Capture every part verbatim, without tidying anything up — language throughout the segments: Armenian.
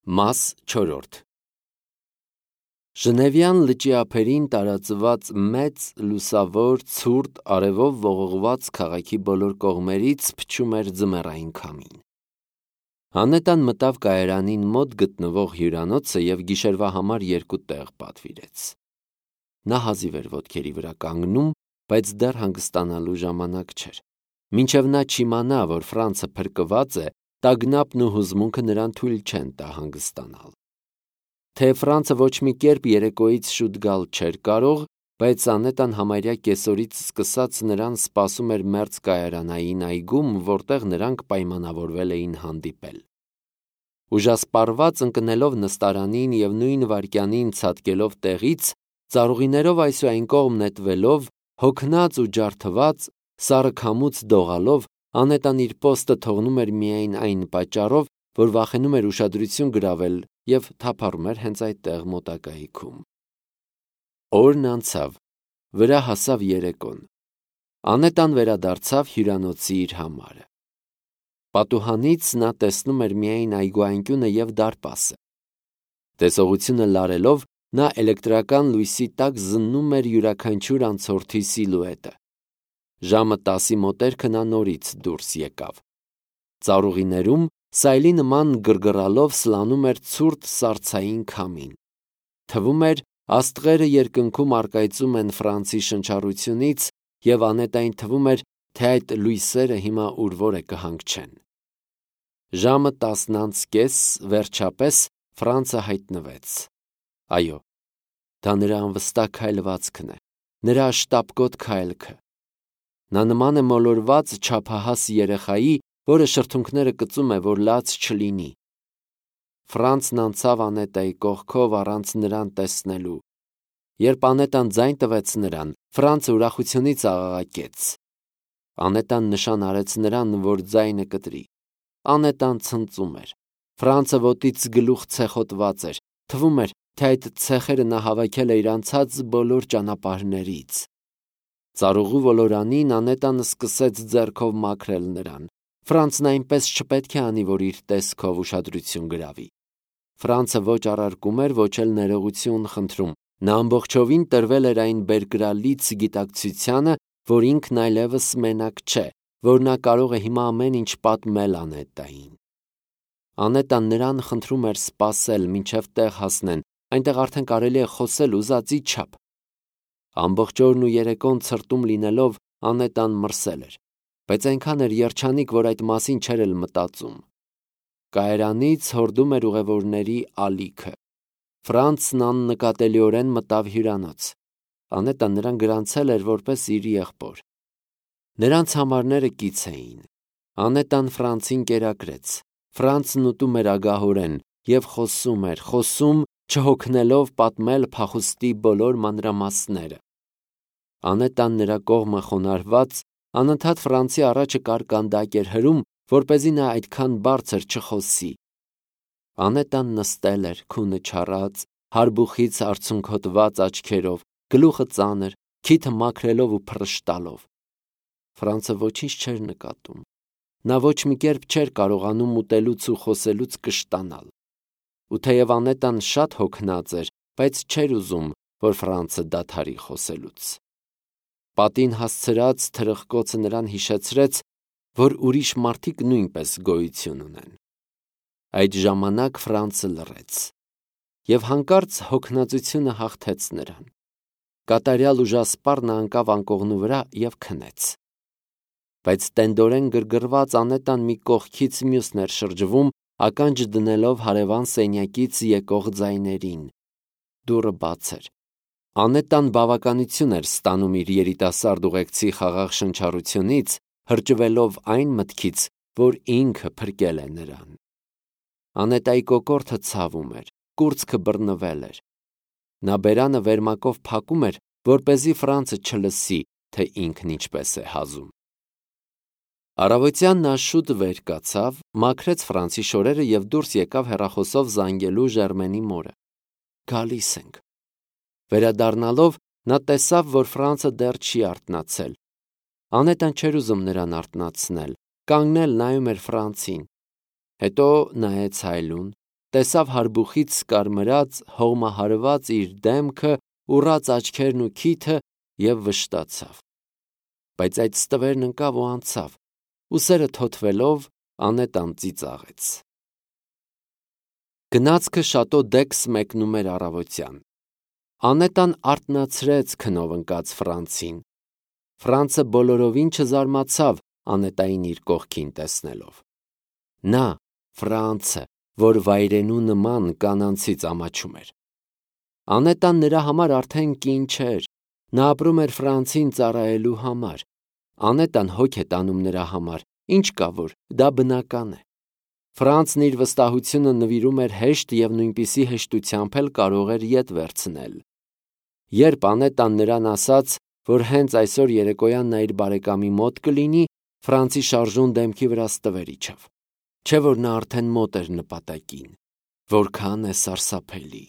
Մաս չորրորդ Ժնևյան լճի ափերին տարածված մեծ, լուսավոր, ցուրտ, արևով ողողված քաղաքի բոլոր կողմերից փչում էր ձմեռային քամին։ Անետան մտավ կայարանին մոտ գտնվող հյուրանոցը և գիշերվա համար երկու տեղ պատվիրեց։ Նա հազիվ էր ոտքերի վրա կանգնում, բայց դեռ հանգստանալու ժամանակ չէր։ Մինչև նա չիմանա, որ Ֆրանցը փրկված է, տագնապն ու հուզմունքը նրան թույլ չեն տա հանգստանալ։ Թեև Ֆրանցը ոչ մի կերպ երեկոյից շուտ գալ չէր կարող, բայց Անետան համարյա կեսօրից սկսած նրան սպասում էր մերձ կայարանային այգում, որտեղ նրանք պայմանավորվել էին հանդիպել։ Ուժասպառված ընկնելով նստարանին և նույն վայրկյանին ցատկելով տեղից, ծառուղիներով այս ու այն կողմ նետվելով, հոգնած ու ջարդված, սառը քամուց դողալով, Անետան իր պոստը թողնում էր միայն այն պատճառով, որ վախենում էր ուշադրություն գրավել և թափառում էր հենց այդտեղ մոտակայքում։ Օրն անցավ, վրա հասավ երեկոն։ Անետան վերադարձավ հյուրանոցի իր համարը։ Պատուհանից նա տեսնում էր միայն այգու անկյունը և դարպասը։ Տեսողությունը լարելով, նա էլեկտրական լույսի տակ զննում էր յուրաքանչյուր անցորդի սիլուետը։ Ժամը տասի մոտերքը նա նորից դուրս եկավ։ Ծառուղիներում սայլի նման գրգռալով սլանում էր ցուրտ սառցային քամին։ Թվում էր, աստղերը երկնքում առկայծում են Ֆրանցի շնչառությունից, և Անետային թվում էր, թե այդ լույսերը հիմա ուր-որ է կհանգչեն։ Ժամը տասն անց կես, վերջապես, Ֆրանցը հայտնվեց։ Այո, դա նրա անվստահ քայլվածքն է, նրա շտապկոտ քայլքը։ Նա նման է մոլորված չափահաս երեխայի, որը շրթունքները կծում է, որ լաց չլինի։ Ֆրանցն անցավ Անետայի կողքով առանց նրան տեսնելու։ Երբ Անետան ձայն տվեց նրան, Ֆրանցը ուրախությունից աղաղակեց։ Անետան նշան արեց նրան, որ ձայնը կտրի։ Անետան ցնծում էր։ Ֆրանցը ոտից գլուխ ցեխոտված էր, թվում էր, թե այդ ցեխերը նա հավաքել է իր անցած բոլոր ճանապարհներից։ Ծառուղու ոլորանին Անետան սկսեց ձեռքով մաքրել նրան։ Ֆրանցն այնպես չպետք է անի, որ իր տեսքով ուշադրություն գրավի։ Ֆրանցը ոչ առարկում էր, ոչ էլ ներողություն խնդրում։ Նա ամբողջովին տրվել էր այն բերկրալից գիտակցությանը, որ ինքն այլևս մենակ չէ, որ նա կարող է հիմա ամեն ինչ պատմել Անետային։ Անետան նրան խնդրում էր սպասել, մինչև տեղ հասնեն, այնտեղ արդեն կարելի է խոսել ուզածի չափ։ Ամբողջ օրն ու երեկոն ցրտում լինելով, Անետան մրսել էր, բայց այնքան էր երջանիկ, որ այդ մասին չէր էլ մտածում։ Կայարանից հորդում էր ուղևորների ալիքը։ Ֆրանցն աննկատելիորեն մտավ հյուրանոց։ Անետան նրան գրանցել էր որպես իր եղբոր։ Նրանց համարները կից էին։ Անետան Ֆրանցին կերակրեց։ Ֆրանցն ուտում էր ագահորեն և խոսում էր, խոսում, չհոգնելով պատմել փախուստի բոլոր մանրամասները։ Անետան նրա կողմը խոնարհված, անընդհատ Ֆրանցի առաջը կարկանդակ էր հրում, որպեսզի նա այդքան բարձր չխոսի։ Անետան նստել էր, քունը չառած, հարբուխից արցունքոտված աչքերով, գլուխը ծանր, քիթը մաքրելով ու փռշտալով։ Ֆրանցը ոչինչ չէր նկատում։ Նա ոչ մի կերպ չէր կարողանում ուտելուց ու խոսելուց կշտանալ։ Ու թեև Անետան շատ հոգնած էր, բայց չէր ուզում, որ Ֆրանցը դադարի խոսելուց։ Պատին հասցրած թրխկոցը նրան հիշեցրեց, որ ուրիշ մարդիկ նույնպես գոյություն ունեն։ Այդ ժամանակ Ֆրանցը լռեց, և հանկարծ հոգնածությունը հաղթեց նրան։ Կատարյալ ուժասպառ նա ընկավ անկողնու վրա և քնեց։ Բայց տենդորեն գրգռված Անետան մի կողքից մյուսն էր շրջվում, ականջ դնելով հարևան սենյակից եկող ձայներին։ Դուռը բաց էր։ Անետան բավականություն էր ստանում իր երիտասարդ ուղեկցի խաղաղ շնչառությունից, հրճվելով այն մտքից, որ ինքը փրկել է նրան։ Անետայի կոկորդը ցավում էր, կուրծքը բռնվել էր։ Նա բերանը վերմակով փակում էր, որպեսզի Ֆրանցը չլսի, թե ինքն ինչպես է հազում։ Առավոտյան նա շուտ վեր կացավ, մաքրեց Ֆրանցի շորերը և դուրս եկավ հեռախոսով զանգելու Ժերմենի մորը։ Գալիս ենք։ Վերադառնալով, նա տեսավ, որ Ֆրանցը դեռ չի արթնացել։ Անետան չէր ուզում նրան արթնացնել, կանգնել նայում էր Ֆրանցին։ Հետո նայեց հայելուն, տեսավ հարբուխից կարմրած, հողմահարված իր դեմքը, ուռած աչքերն ու քիթը և վշտացավ։ Բայց այդ ստվերն ընկավ ու անցավ, ուսերը թոթվելով Անետան ծիծաղեց։ Գնացքը շատո Դեքս մեկնում էր առավոտյան։ Անետան արթնացրեց քնով ընկած Ֆրանցին։ Ֆրանցը բոլորովին չզարմացավ Անետային իր կողքին տեսնելով։ Նա, Ֆրանցը, որ վայրենու նման կանանցից ամաչում էր։ Անետան նրա համար արդեն կին չէր, նա ապրում էր Ֆրանցին ծառայելու համար։ Անետան հոգ է տանում նրա համար, ինչ կա որ, դա բնական է։ Ֆրանցն իր վստահությունը նվիրում էր հեշտ և նույնպիսի հեշտությամբ էլ կարող էր ետ վերցնել։ Երբ Անետան նրան ասաց, որ հենց այսօր երեկոյան նա իր բարեկամի մոտ կլինի, Ֆրանցի շարժուն դեմքի վրա ստվեր իջավ։ Չէ՞ որ նա արդեն մոտ էր նպատակին։ Որքան է սարսափելի։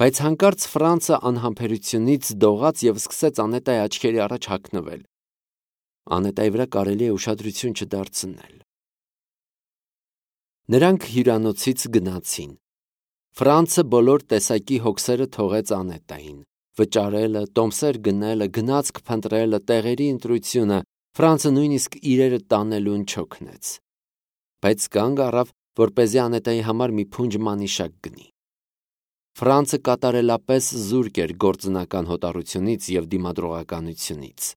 Բայց հանկարծ Ֆրանցը անհամբերությունից դողաց և սկսեց Անետայի աչքերի առաջ հագնվել։ Անետայի վրա կարելի է ուշադրություն չդարձնել։ Նրանք հյուրանոցից գնացին։ Ֆրանցը բոլոր տեսակի հոգսերը թողեց Անետային։ Վճարելը, տոմսեր գնելը, գնացք փնտրելը, տեղերի ընտրությունը, Ֆրանցը նույնիսկ իրերը տանելուն չօգնեց։ Բայց կանգ առավ, որպեսզի Անետայի համար մի փունջ մանիշակ գնի։ Ֆրանցը կատարելապես զուրկ էր գործնական հոտառությունից և դիմադրողականությունից։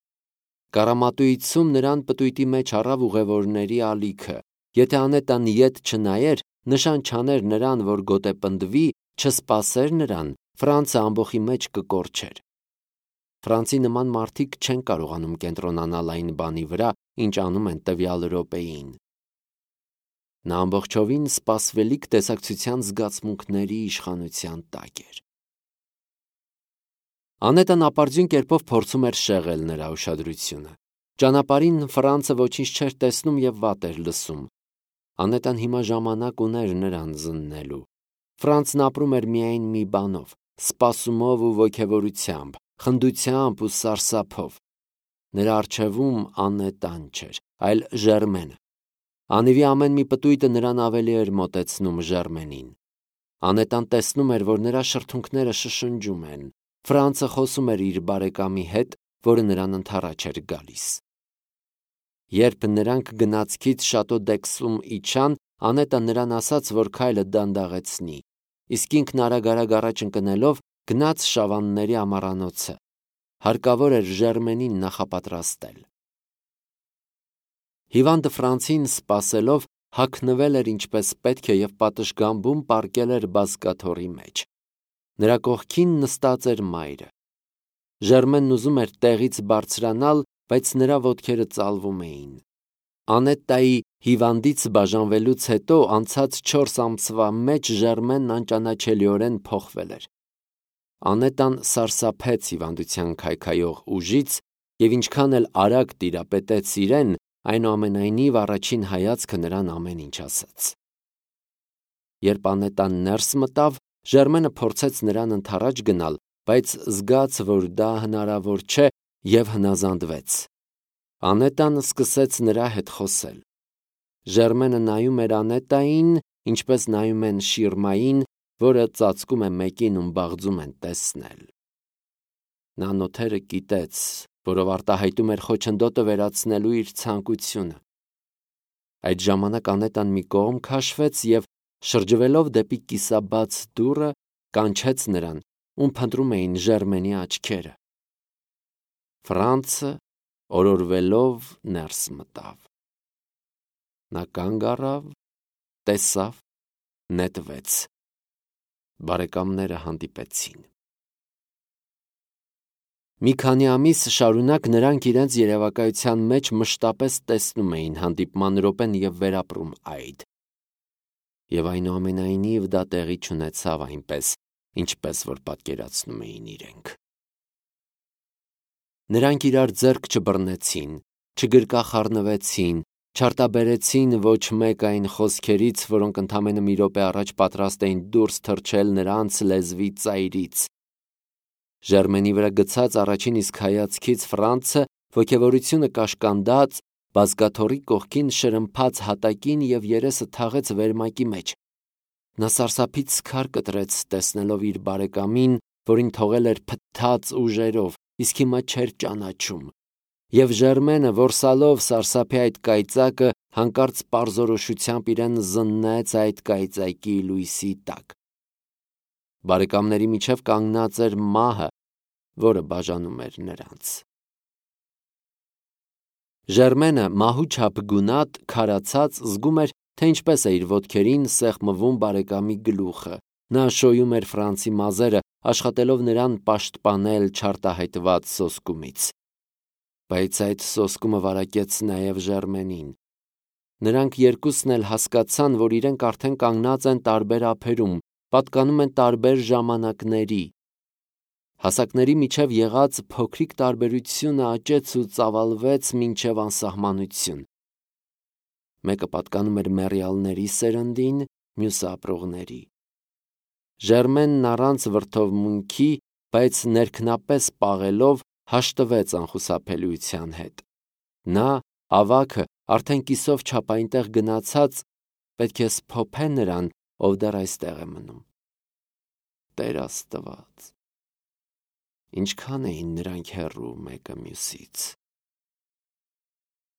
Կարամատույցում նրան պտույտի մեջ առավ ուղևորների ալիքը։ Եթե Անետան ետ չնայեր, նշան չաներ նրան, որ գոտեպնդվի, չսպասեր նրան, Ֆրանցը ամբոխի մեջ կկորչեր։ Ֆրանցի նման մարդիկ չեն կարողանում կենտրոնանալ այն բանի վրա, ինչ անում են տվյալ րոպեին։ Նա ամբողջովին սպասվելիք տեսակցության զգացմունքների իշխանության տակ էր։ Անետան ապարդյուն կերպով փորձում էր շեղել նրա ուշադրությունը։ Ճանապարհին Ֆրանցը ոչինչ չէր տեսնում և վատ էր լսում։ Անետան հիմա ժամանակ ուներ նրան զննելու։ Ֆրանցն ապրում էր միայն մի բանով՝ սպասումով ու ոգևորությամբ, խնդությամբ ու սարսափով։ Նրա առջևում Անետան չէր, այլ Ժերմենը։ Անիվի ամեն մի պտույտը նրան ավելի էր մոտեցնում Ժերմենին։ Անետան տեսնում էր, որ նրա շրթունքները շշնջում են։ Ֆրանցը խոսում էր իր բարեկամի հետ, որը նրան ընդառաջ էր գալիս։ Երբ նրանք գնացքից շատո Դեքսում իջան, Անետան նրան ասաց, որ քայլը դանդաղեցնի, իսկ ինքն արագ-արագ առաջ ընկնելով գնաց Շավանների ամառանոցը։ Հարկավոր էր Ժերմենին նախապատրաստել։ Հիվանդը Ֆրանցին սպասելով հագնվել էր ինչպես պետք է և պատշգամբում պառկել էր բազկաթոռի մեջ։ Նրա կողքին նստած էր մայրը։ Ժերմենն ուզում էր տեղից բարձրանալ, բայց նրա ոտքերը ծալվում էին։ Անետայի հիվանդից բաժանվելուց հետո անցած չորս ամսվա մեջ Ժերմենն անճանաչելիորեն փոխվել էր։ Անետան սարսափեց հիվանդության քայքայող ուժից և ինչքան էլ արագ տիրապետեց իրեն, այնուամենայնիվ առաջին հայացքը նրան ամեն ինչ ասաց։ Երբ Անետան ներս մտավ, Ժերմենը փորձեց նրան ընդառաջ գնալ, բայց զգաց, որ դա հնարավոր չէ և հնազանդվեց։ Անետան սկսեց նրա հետ խոսել։ Ժերմենը նայում էր Անետային, ինչպես նայում են շիրմային, որը ծածկում է մեկին, ում բաղձում են տեսնել։ Նա նոթերը կիտեց, որով արտահայտում էր խոչընդոտը վերացնելու իր ցանկությունը։ Այդ ժամանակ Անետան մի կողմ քաշվեց և, շրջվելով դեպի կիսաբաց դուռը, կանչեց նրան, ում փնտրում էին Ժերմենի աչքերը։ Ֆրանցը օրորվելով ներս մտավ։ Նա կանգ առավ, տեսավ, նետվեց։ Բարեկամները հանդիպեցին։ Մի քանի ամիս շարունակ նրանք իրենց երևակայության մեջ մշտապես տեսնում էին հանդիպման րոպեն և վերապրում այդ։ Եվ այնուամենայնիվ դա տեղի չունեցավ այնպես, ինչպես որ պատկերացնում էին իրենք։ Նրանք իրար ձեռք չբռնեցին, չգրկախառնվեցին, չարտաբերեցին ոչ մեկ այն խոսքերից, որոնք ընդամենը մի րոպե առաջ պատրաստ էին դուրս թռչել նրանց լեզվի ծայրից։ Ժերմենի վրա գցած առաջին իսկ հայացքից Ֆրանցը, ոգևորությունը կաշկանդած, բազկաթոռի կողքին շրմփաց հատակին և երեսը թաղեց վերմակի մեջ։ Նա սարսափից սքար կտրեց, տեսնելով իր բարեկամին, որին թողել էր փթթած ուժերով, իսկ հիմա չէր ճանաչում։ Եվ Ժերմենը, որսալով սարսափի այդ կայծակը, հանկարծ պարզորոշությամբ իրեն զննեց այդ կայծակի լույսի տակ։ Բարեկամների միջև կանգնած էր մահը, որը բաժանում էր նրանց։ Ժերմենը մահու չափ գունատ, քարացած, զգում էր, թե ինչպես է իր ոտքերին սեղմվում բարեկամի գլուխը։ Նա շոյում էր Ֆրանցի մազերը, աշխատելով նրան պաշտպանել չարտահայտված սոսկումից։ Բայց այդ սոսկումը վարակեց նաև Ժերմենին։ Նրանք երկուսն էլ հասկացան, որ իրենք արդեն կանգնած են տարբեր ափերում, պատկանում են տարբեր ժամանակների։ Հասակների միջև եղած փոքրիկ տարբերությունը աճեց ու ծավալվեց մինչև անսահմանություն։ Մեկը պատկանում էր մեռյալների սերնդին, մյուսը ապրողների։ Ժերմենն առանց վրդովմունքի, բայց ներքնապես պաղելով, հաշտվեց անխուսափելիության հետ։ Նա, ավագը, արդեն կիսով չափ այնտեղ գնացած, պետք է սփոփե նրան, ով դեռ այստեղ է մնում։ Տեր Աստված, ինչքան էին նրանք հեռու մեկը մյուսից։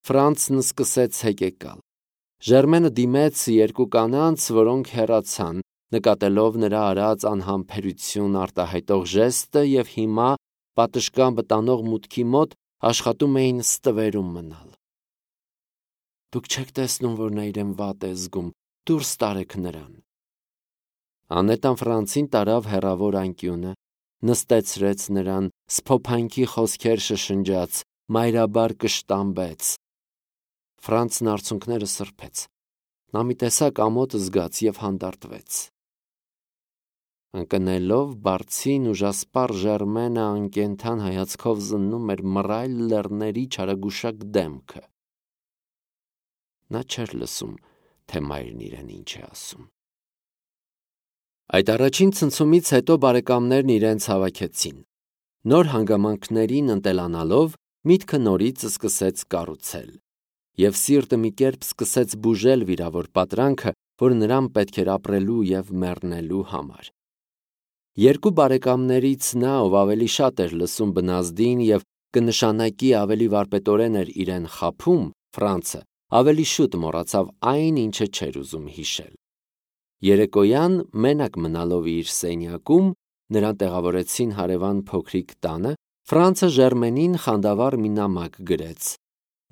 Ֆրանցն սկսեց հեկեկալ։ Ժերմենը դիմեց երկու կանանց, որոնք հեռացան, նկատելով նրա արած անհամբերություն արտահայտող ժեստը, և հիմա, պատշգամբը տանող մուտքի մոտ, աշխատում էին ստվերում մնալ։ Դուք չեք տեսնում, որ նա իրեն վատ է զգում, դուրս տարեք նրան։ Անետան Ֆրանցին տարավ հեռավոր անկյունը, նստեցրեց նրան, սփոփանքի խոսքեր շշնջաց, մայրաբար կշտամբեց։ Ֆրանցն արցունքները սրբեց։ Նա մի տեսակ ամոթ զգաց և հանդարտվեց։ Ընկնելով բարձին ուժասպառ Ժերմենը անկենդան հայացքով զննում էր մռայլ լեռների չարագուշակ դեմքը։ Նա չէր լսում, թե մայրն իրեն ինչ է ասում։ Այդ առաջին ցնցումից հետո բարեկամներն իրենց հավաքեցին։ Նոր հանգամանքներին ընտելանալով, միտքը նորից սկսեց կառուցել։ Եվ սիրտը մի կերպ սկսեց բուժել վիրավոր պատրանքը, որ նրան պետք էր ապրելու և մեռնելու համար։ Երկու բարեկամներից նա, ով ավելի շատ էր լսում բնազդին և կնշանակի ավելի վարպետորեն էր իրեն խաբում, Ֆրանցը, ավելի շուտ մոռացավ այն, ինչը չէր ուզում հիշել։ Երեկոյան, մենակ մնալով իր սենյակում, նրան տեղավորեցին հարևան փոքրիկ տանը, Ֆրանցը Ժերմենին խանդավառ մի նամակ գրեց։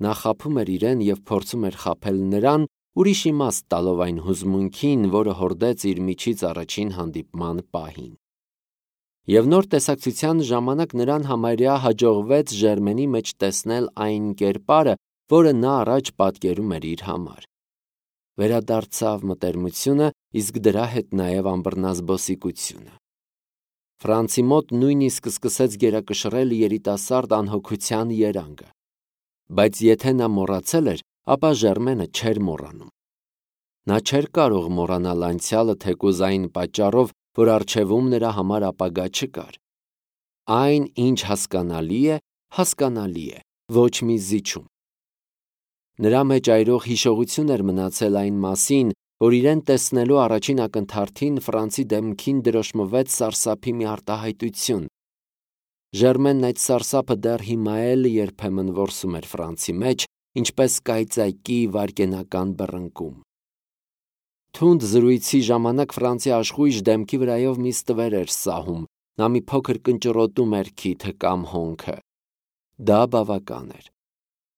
Նա խաբում էր իրեն և փորձում էր խաբել նրան, ուրիշ իմաստ տալով այն հուզմունքին, որը հորդեց իր միջից առաջին հանդիպման պահին։ Եվ նոր տեսակցության ժամանակ նրան համարյա հաջողվեց Ժերմենի մեջ տեսնել այն կերպարը, որը նա առաջ պատկերում էր իր համար։ Վերադարձավ մտերմությունը, իսկ դրա հետ նաև անբռնազբոսիկությունը։ Ֆրանցի մոտ նույնիսկ սկսեց գերակշռել երիտասարդ անհոգության երանգը։ Բայց եթե նա մոռացել էր, ապա Ժերմենը չէր մոռանում։ Նա չէր կարող մոռանալ անցյալը թեկուզ այն պատճառով, որ առջևում նրա համար ապագա չկար։ Այն, ինչ հասկանալի է, հասկանալի է, ոչ մի զիջում։ Նրա մեջ այրող հիշողություն էր մնացել այն մասին, որ իրեն տեսնելու առաջին ակնթարթին Ֆրանցի դեմքին դրոշմվեց սարսափի մի արտահայտություն։ Ժերմենն այդ սարսափը դեռ հիմա էլ երբեմն որսում էր Ֆրանցի մեջ, ինչպես կայծակի վայրկենական բռնկում։ Թունդ զրույցի ժամանակ Ֆրանցի աշխույժ դեմքի վրայով մի ստվեր էր սահում, նա մի փոքր կնճռոտում էր քիթը կամ հոնքը։ Դա բավական էր։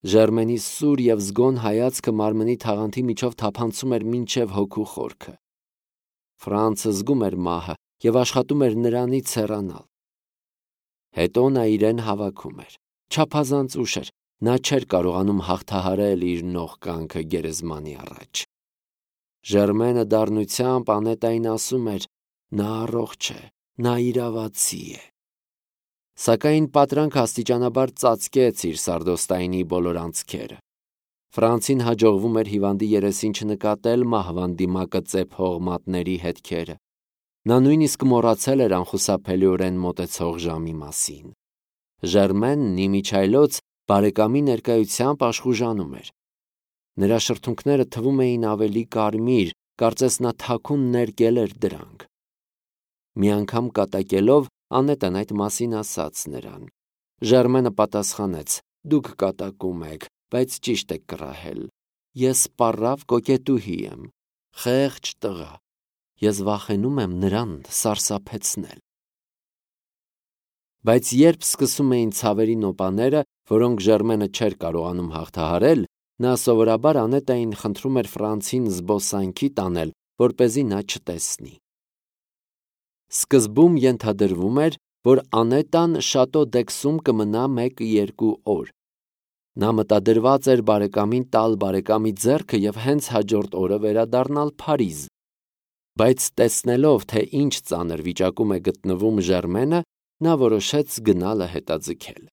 Ժերմենի սուր և զգոն հայացքը մարմնի թաղանթի միջով թափանցում էր մինչև հոգու խորքը։ Ֆրանցը զգում էր մահը և աշխատում էր նրանից հեռանալ։ Հետո նա իրեն հավաքում էր։ Չափազանց ուշ էր, նա չէր կարողանում հաղթահարել իր նողկանքը գերեզմանի առաջ։ Ժերմենը դառնությամբ Անետային ասում էր. նա առողջ է, նա իրավացի է։ Սակայն պատրանքը աստիճանաբար ծածկեց իր սարդոստայնի բոլոր անցքերը։ Ֆրանցին հաջողվում էր հիվանդի երեսին չնկատել մահվան դիմակը ծեփող մատների հետքերը։ Նա նույնիսկ մոռացել էր անխուսափելիորեն մոտեցող ժամի մասին։ Ժերմենն իմիջիայլոց բարեկամի ներկայությամբ աշխուժանում էր։ Նրա շրթունքները թվում էին ավելի կարմիր, կարծես նա թաքուն ներկել էր դրանք։ Մի անգամ կատակելով Անետան այդ մասին ասաց նրան։ Ժերմենը պատասխանեց. «Դուք կատակում եք, բայց ճիշտ եք կռահել։ Ես սպառավ կոկետուհի եմ, խեղճ տղա։ Ես վախենում եմ նրան սարսափեցնել»։ Բայց երբ սկսում էին ցավերի նոպաները, որոնք Ժերմենը չէր կարողանում հաղթահարել, նա սովորաբար Անետային խնդրում էր Ֆրանցին զբոսանքի տանել, որպեսզի նա չտեսնի։ Սկզբում ենթադրվում էր, որ Անետան Շատո դ'Եքսում կմնա մեկ-երկու օր։ Նա մտադրված էր բարեկամին տալ բարեկամի ձեռքը և հենց հաջորդ օրը վերադառնալ Փարիզ։ Բայց տեսնելով, թե ինչ ծանր վիճակում է գտնվում Ժերմենը, նա որոշեց գնալը հետաձգել։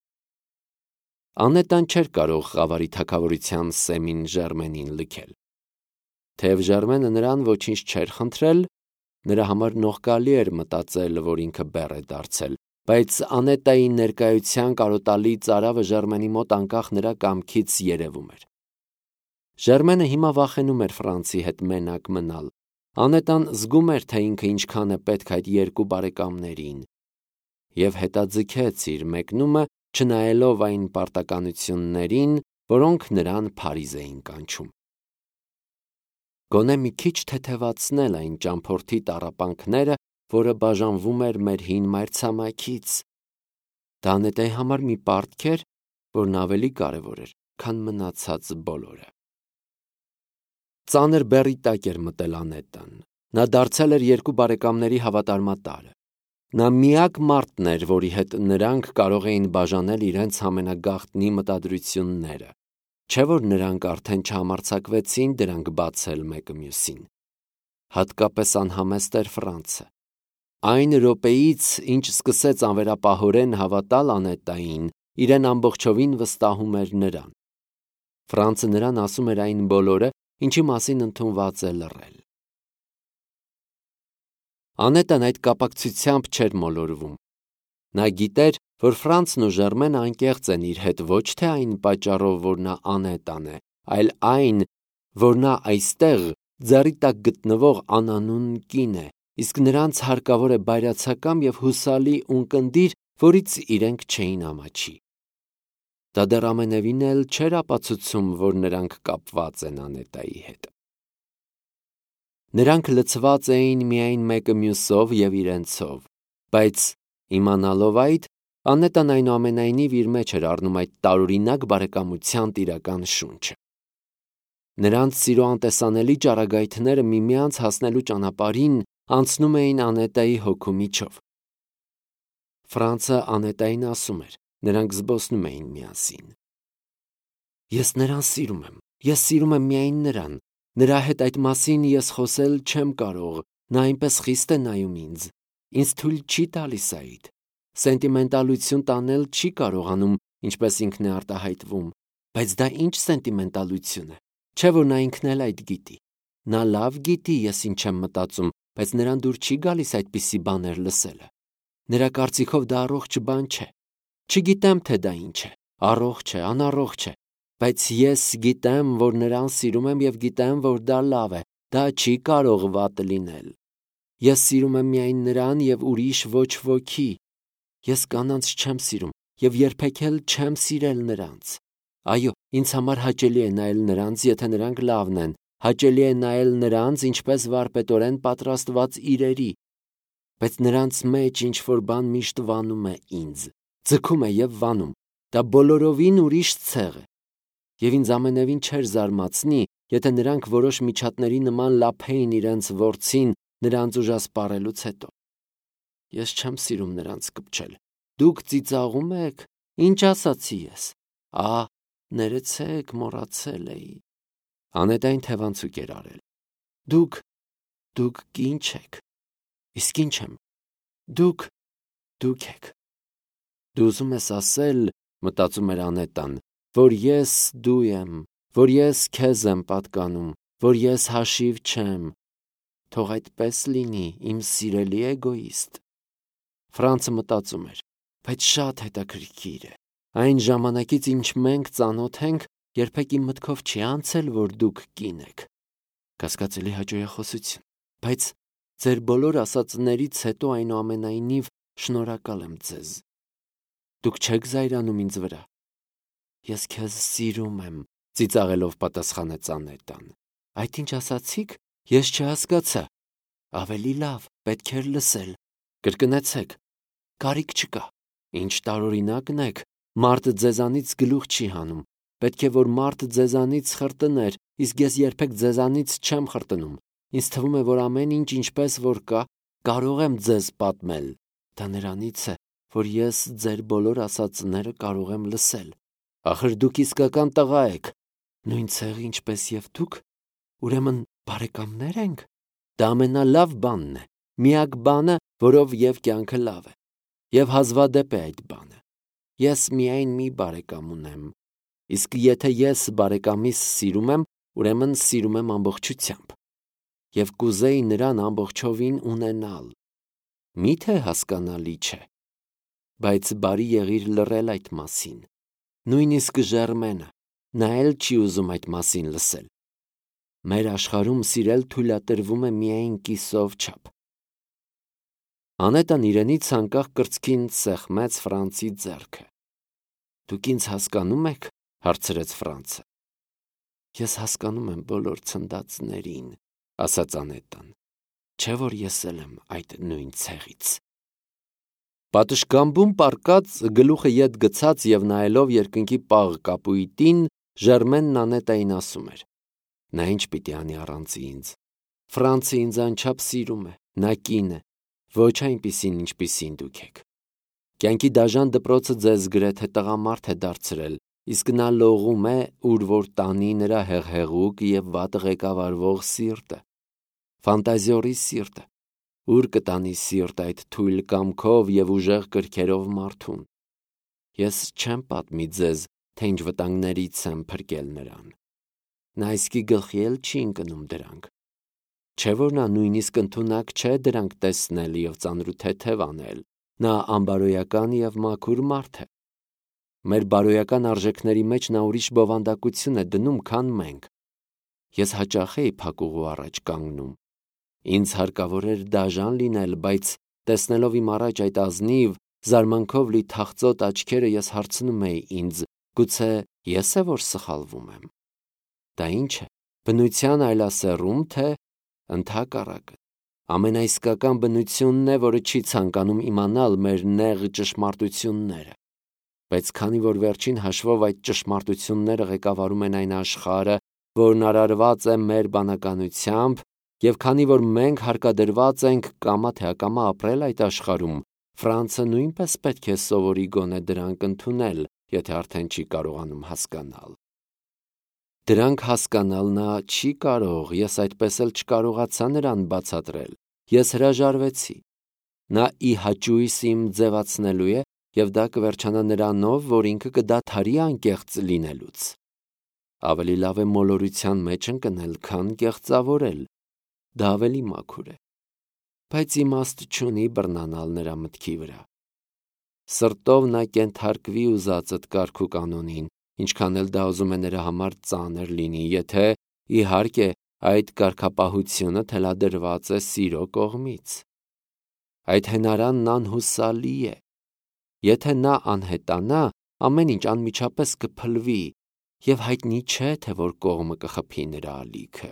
Անետան չէր կարող Խավարի թագավորության սեմին Ժերմենին լքել։ Թեև Ժերմենը նրան ոչինչ չէր խնդրել, նրա համար նողկալի էր մտածել, որ ինքը բեռ է դարձել, բայց Անետայի ներկայության կարոտալի ծարավը Ժերմենի մոտ անկախ նրա կամքից երևում էր։ Ժերմենը հիմա վախենում էր Ֆրանցի հետ մենակ մնալ։ Անետան զգում էր, թե ինքը ինչքան է պետք այդ երկու բարեկամներին, և հետաձգեց իր մեկնումը, չնայելով այն պարտականություններին, որոնք նրան Փարիզ էին կանչում։ Գոնե մի քիչ թեթևացնել այն ճամփորդի տառապանքները, որը բաժանվում էր մեր հին մայրցամաքից։ Դա Անետայի համար մի պարտք էր, որն ավելի կարևոր էր, քան մնացած բոլորը։ Ծանր բեռի տակ էր մտել Անետան։ Նա դարձել էր երկու բարեկամների հավատարմատարը։ Նա միակ մարդն էր, որի հետ նրանք կարող էին բաժանել իրենց ամենագաղտնի մտադրությունները, չէ՞ որ նրանք արդեն չհամարձակվեցին դրանք բացել մեկը մյուսին։ Հատկապես անհամեստ էր Ֆրանցը։ Այն րոպեից, ինչ սկսեց անվերապահորեն հավատալ Անետային, իրեն ամբողջովին վստահում էր նրան։ Ֆրանցը նրան ասում էր այն բոլորը, ինչի մասին ընդունված է լռել։ Անետան այդ կապակցությամբ չէր մոլորվում։ Նա գիտեր, որ Ֆրանցն ու Ժերմենը անկեղծ են իր հետ ոչ թե այն պատճառով, որ նա Անետան է, այլ այն, որ նա այստեղ ձեռի տակ գտնվող անանուն կին է, իսկ նրանց հարկավոր է բայրացակամ և հուսալի ունկնդիր, որից իրենք չէին ամաչի։ Դա դեռ ամենևին էլ չէր ապացուցում, որ նրանք կապված են Անետայի հետ։ Նրանք լցված էին միայն մեկը մյուսով և իրենցով, բայց իմանալով այդ, Անետան այնուամենայնիվ իր մեջ էր առնում այդ տարօրինակ բարեկամության տիրական շունչը։ Նրանց սիրո անտեսանելի ճառագայթները միմյանց հասնելու ճանապարհին անցնում էին Անետայի հոգու միջով։ Ֆրանցը Անետային ասում էր, նրանք զբոսնում էին միասին։ Ես նրան սիրում եմ, ես սիրում եմ միայն նրան, նրա հետ այդ մասին ես խոսել չեմ կարող, նա այնպես խիստ է նայում ինձ, ինձ թույլ չի տալիս այդ, սենտիմենտալություն տանել չի կարողանում, ինչպես ինքն է արտահայտվում, բայց դա ինչ սենտիմենտալություն է, չէ՞ որ նա ինքն էլ այդ գիտի։ Նա լավ գիտի ես ինչ եմ մտածում, բայց նրան դուր չի գալիս այդպիսի բաներ լսելը։ Նրա կարծիքով դա առողջ բան չէ։ Չգիտեմ, թե դա ինչ է, առողջ է, անառողջ է, բայց ես գիտեմ, որ նրան սիրում եմ և գիտեմ, որ դա լավ է, դա չի կարող վատ լինել։ Ես սիրում եմ միայն նրան և ուրիշ ոչ ոքի։ Ես կանանց չեմ սիրում և երբեք էլ չեմ սիրել նրանց։ Այո, ինձ համար հաճելի է նայել նրանց, եթե նրանք լավն են, հաճելի է նայել նրանց, ինչպես վարպետորեն պատրաստված իրերի, բայց նրանց մեջ ինչ-որ բան միշտ վանում է ինձ, ձգում է և վանում, դա բոլորովին ուրիշ ցեղ է։ Եվ ինձ ամենևին չէր զարմացնի, եթե նրանք որոշ միջատների նման լափեին իրենց որցին նրանց ուժասպառելուց հետո։ Ես չեմ սիրում նրանց կպչել։ Դուք ծիծաղում եք, ինչ ասացի ես։ Ա, ներեցեք, մոռացել էի։ Անետային թևանցուկ էր արել։ Դուք, դուք կին չեք։ Իսկ ինչ եմ։ Դուք, դուք եք։ Դու ուզում ես ասել, մտածում էր Անետան, որ ես դու եմ, որ ես քեզ եմ պատկանում, որ ես հաշիվ չեմ։ Թող այդպես լինի, իմ սիրելի էգոիստ։ Ֆրանցը մտածում էր, բայց շատ հետաքրքիր է։ Այն ժամանակից, ինչ մենք ծանոթ ենք, երբեք իմ մտքով չի անցել, որ դուք կին եք։ Կասկածելի հաճոյախոսություն, բայց ձեր բոլոր ասածներից հետո այնուամենայնիվ շնորհակալ եմ ձեզ։ Դուք չեք զայրանում ինձ վրա։ Ես քեզ սիրում եմ, ծիծաղելով պատասխանեց Անետան։ Այդ ինչ ասացիք, ես չհասկացա։ Ավելի լավ, պետք էր լսել։ Կրկնեցեք։ Կարիք չկա։ Ինչ տարօրինակն եք, մարդ ձեզանից գլուխ չի հանում։ Պետք է որ մարդ ձեզանից խրտներ, իսկ ես երբեք ձեզանից չեմ խրտնում։ Ինձ թվում է, որ ամեն ինչ ինչպես որ կա, կարող եմ ձեզ պատմել։ Դա նրանից է, որ ես ձեր բոլոր ասածները կարող եմ լսել։ Ախր դուք իսկական տղա եք, նույն ցեղ ինչպես եւ դուք, ուրեմն բարեկամներ ենք։ Դա ամենալավ բանն է, միակ բանը, որով եւ կյանքը լավ է։ Եվ հազվադեպ է այդ բանը։ Ես միայն մի բարեկամ ունեմ։ Իսկ եթե ես բարեկամիս սիրում եմ, ուրեմն սիրում եմ ամբողջությամբ։ Եվ կուզեի նրան ամբողջովին ունենալ։ Միթե հասկանալի չէ։ Բայց բարի եղիր լռել այդ մասին։ Նույնիսկ Ժերմենը, նա էլ չի ուզում այդ մասին լսել։ Մեր աշխարհում սիրել թույլատրվում է միայն կիսով չափ։ Անետան իրենից անկախ կրծքին սեղմեց Ֆրանցի ձեռքը։ Դուք ինձ հասկանում եք, հարցրեց Ֆրանցը։ Ես հասկանում եմ բոլոր ցնդածներին, ասաց Անետան։ Չէ որ ես էլ եմ այդ նույն ցեղից։ Պատշգամբում պառկած, գլուխը ետ գցած եւ նայելով երկնքի պաղ կապույտին, Ժերմենն Անետային ասում էր. Նա ինչ պիտի անի առանց ինձ։ Ֆրանցը ինձ անչափ սիրում է, նա կին է, ոչ այնպիսին, ինչպիսին դուք եք։ Կյանքի դաժան դպրոցը ձեզ գրեթե տղամարդ է դարձրել, իսկ նա լողում է, ուր որ տանի նրա հեղհեղուկ եւ վատ ղեկավարվող սիրտը։ Ֆանտազիորի սիրտը, ուր կտանի սիրտ այդ թույլ կամքով եւ ուժեղ կրքերով մարդուն։ Ես չեմ պատմի ձեզ, թե ինչ վտանգներից եմ փրկել նրան։ Նա իսկի գլխի էլ չի ընկնում դրանք։ Չէ որ նա նույնիսկ ընդունակ չէ դրանք տեսնել եւ ծանրութեթև անել։ Նա անբարոյական եւ մաքուր մարդ է։ Մեր բարոյական արժեքների մեջ նա ուրիշ բովանդակություն է դնում, քան մենք։ Ես հաճախ էի փակուղու առաջ կանգնում։ Ինձ հարկավոր էր դաժան լինել, բայց տեսնելով իմ առաջ այդ ազնիվ, զարմանքով լի թախծոտ աչքերը, ես հարցնում էի ինձ, գուցե ես է որ սխալվում եմ։ Դա ինչ է, բնության այլասեռում, թե ընդհակառակը։ Ամենաիսկական բնությունն է, որը չի ցանկանում իմանալ մեր նեղ ճշմարտությունները։ Բայց քանի որ վերջին հաշվով այդ ճշմարտությունները ղեկավարում են այն աշխարհը, որն արարված է մեր բանականությամբ, եւ քանի որ մենք հարկադրված ենք կամա թե ակամա ապրել այդ աշխարհում, Ֆրանցը նույնպես պետք է սովորի գոնե դրանք ընդունել, եթե արդեն չի կարողանում հասկանալ։ Դրանք հասկանալ նա չի կարող, ես այդպես էլ չկարողացա նրան բացատրել։ Ես հրաժարվեցի։ Նա ի հաճույս իմ ձևացնելու է, եւ դա կվերջանա նրանով, որ ինքը կդադարի անկեղծ լինելուց։ Ավելի լավ է մոլորության մեջ ընկնել, քան կեղծավորել։ Դա ավելի մաքուր է։ Բայց իմաստ չունի բռնանալ նրա մտքի վրա։ Սրտով նա կենթարկվի ուզածդ կարգ ու կանոնին, ինչքան էլ դա ուզում է նրա համար ծանր լինի, եթե, իհարկե, այդ կարգապահությունը թելադրված է սիրո կողմից։ Այդ հենարանն անհուսալի է։ Եթե նա անհետանա, ամեն ինչ անմիջապես կփլվի, եւ հայտնի չէ, թե որ կողմը կխփի նրա ալիքը։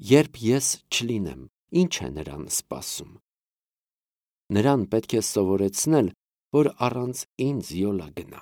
Երբ ես չլինեմ, ինչ է նրան սպասում։ Նրան պետք է սովորեցնել, որ առանց ինձ յոլա գնա։